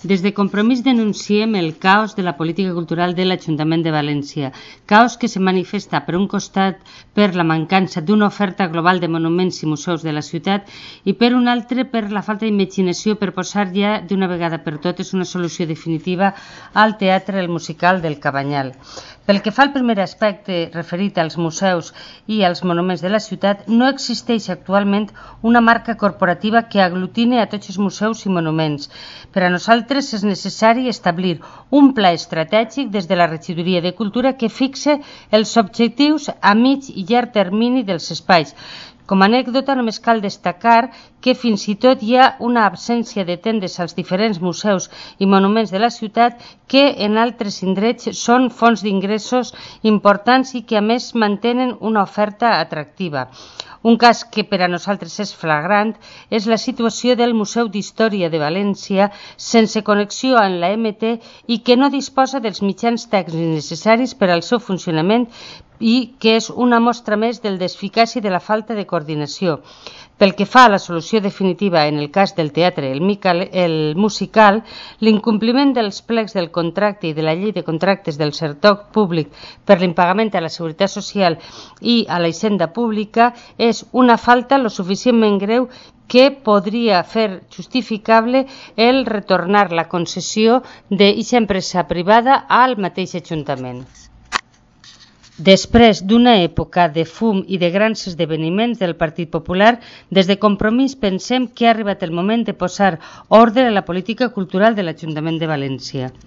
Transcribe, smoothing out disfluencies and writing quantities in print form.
Des de Compromís denunciem el caos de la política cultural de l'Ajuntament de València, caos que se manifesta per un costat per la mancança d'una oferta global de monuments i museus de la ciutat i per un altre per la falta d'imaginació per posar ja d'una vegada per totes una solució definitiva al teatre El Musical del Cabanyal. Pel que fa al primer aspecte referit als museus i als monuments de la ciutat, no existeix actualment una marca corporativa que aglutine a tots els museus i monuments. Per a nosaltres és necessari establir un pla estratègic des de la Regidoria de Cultura que fixe els objectius a mig i llarg termini dels espais. Com a anècdota, només cal destacar que fins i tot hi ha una absència de tendes als diferents museus i monuments de la ciutat que en altres indrets són fonts d'ingressos importants i que a més mantenen una oferta atractiva. Un cas que per a nosaltres és flagrant és la situació del Museu d'Història de València sense connexió amb la MT i que no disposa dels mitjans tècnics necessaris per al seu funcionament i que és una mostra més del desficaç i de la falta de coordinació. Pel que fa a la solució definitiva en el cas del teatre El Musical, l'incompliment dels plecs del contracte i de la llei de contractes del sector públic per l'impagament a la Seguretat Social i a la Hisenda Pública és una falta lo suficientment greu que podria fer justificable el retornar la concessió d'eixa empresa privada al mateix Ajuntament. Després d'una època de fum i de grans esdeveniments del Partit Popular, des de Compromís pensem que ha arribat el moment de posar ordre a la política cultural de l'Ajuntament de València.